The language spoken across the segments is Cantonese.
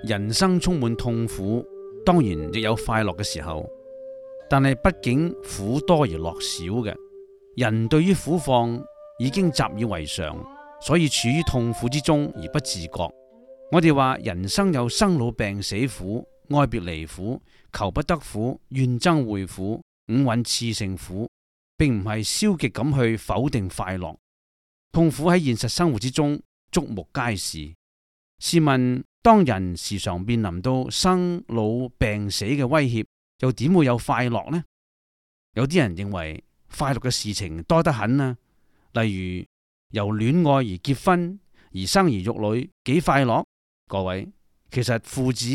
人生充滿痛苦，當然亦有快樂嘅時候，但係畢竟苦多而樂少嘅。人對於苦況已經習以為常，所以處於痛苦之中而不自覺。我哋話人生有生老病死苦、愛別離苦、求不得苦、怨憎會苦、五蘊熾盛苦，並唔係消極咁去否定快樂。痛苦喺現實生活之中觸目皆是。試問當人時常面臨到生老病死嘅威脅，又點會有快樂呢？有啲人認為快樂嘅事情多得很啊，例如由戀愛而結婚，而生兒育女，幾快樂。各位，其實父子、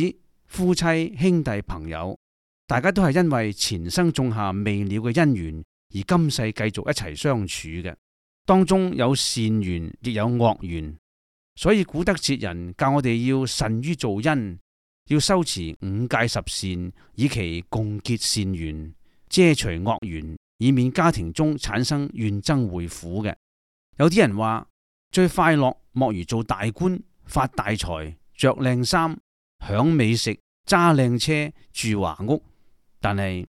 夫妻、兄弟、朋友，大家都係因為前生種下未了嘅因緣，而今世繼續一齊相處嘅，當中有善緣，亦有惡緣。所以古德哲人教我哋要慎於造因，要修持五戒十善，以期共結善緣，遮除惡緣，以免家庭中產生怨憎會苦嘅。有啲人話最快樂莫如做大官，發大財，着靚衫，享美食，揸靚車，住華屋。但係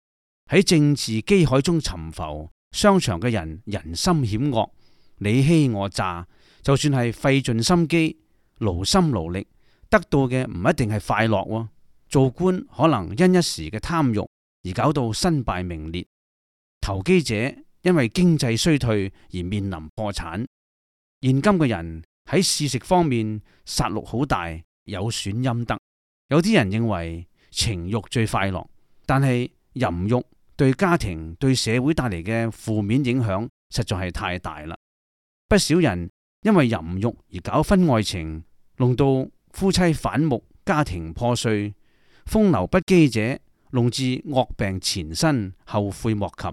喺政治機海中沉浮，商場嘅人人心險惡，你欺我詐，就算係費盡心機，勞心勞力，得到嘅唔一定係快樂喎。做官可能因一時嘅貪欲而搞到身敗名裂，投機者因為經濟衰退而面臨破產。現今嘅人喺試食方面殺戮好大，有損陰德。有啲人認為情欲最快樂，但係淫欲對家庭對社會帶嚟嘅負面影響實在係太大啦。不少人因為淫欲而搞婚外情，弄到夫妻反目，家庭破碎。風流不羈者弄至惡病纏身，後悔莫及。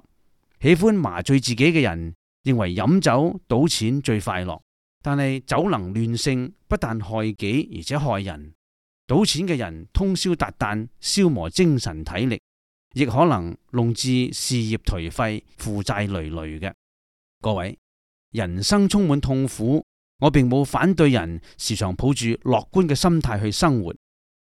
喜歡麻醉自己嘅人認為飲酒賭錢最快樂，但係酒能亂性，不但害己而且害人。賭錢嘅人通宵達旦，消磨精神體力，亦可能弄至事業頹廢，負債累累嘅。各位，人生充滿痛苦，我並冇反對人時常抱住樂觀嘅心態去生活，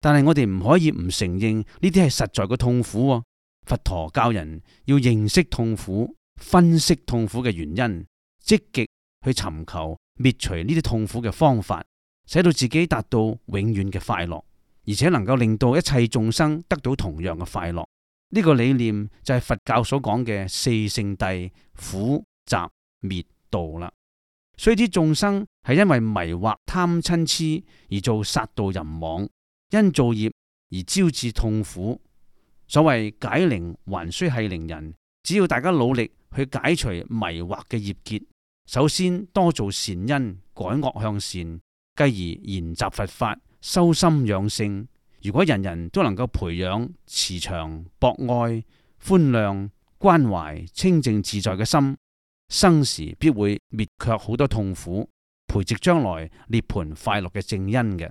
但係我哋唔可以唔承認呢啲係實在嘅痛苦喎。佛陀教人要認識痛苦，分析痛苦嘅原因，積極去尋求滅除呢啲痛苦嘅方法，使到自己達到永遠嘅快樂，而且能夠令到一切眾生得到同樣嘅快樂。呢個理念就係佛教所講嘅四聖諦苦集滅道啦。所以啲眾生係因為迷惑貪嗔癡而做殺盜淫妄，因造業而招致痛苦。所謂解鈴還須繫鈴人，只要大家努力去解除迷惑嘅業結，首先多做善因，改惡向善，繼而研習佛法，修心養性。如果人人都能夠培養慈祥、博愛、寬諒、關懷、清淨自在嘅心，生時必會滅卻好多痛苦，培植將來涅槃快樂嘅正因嘅。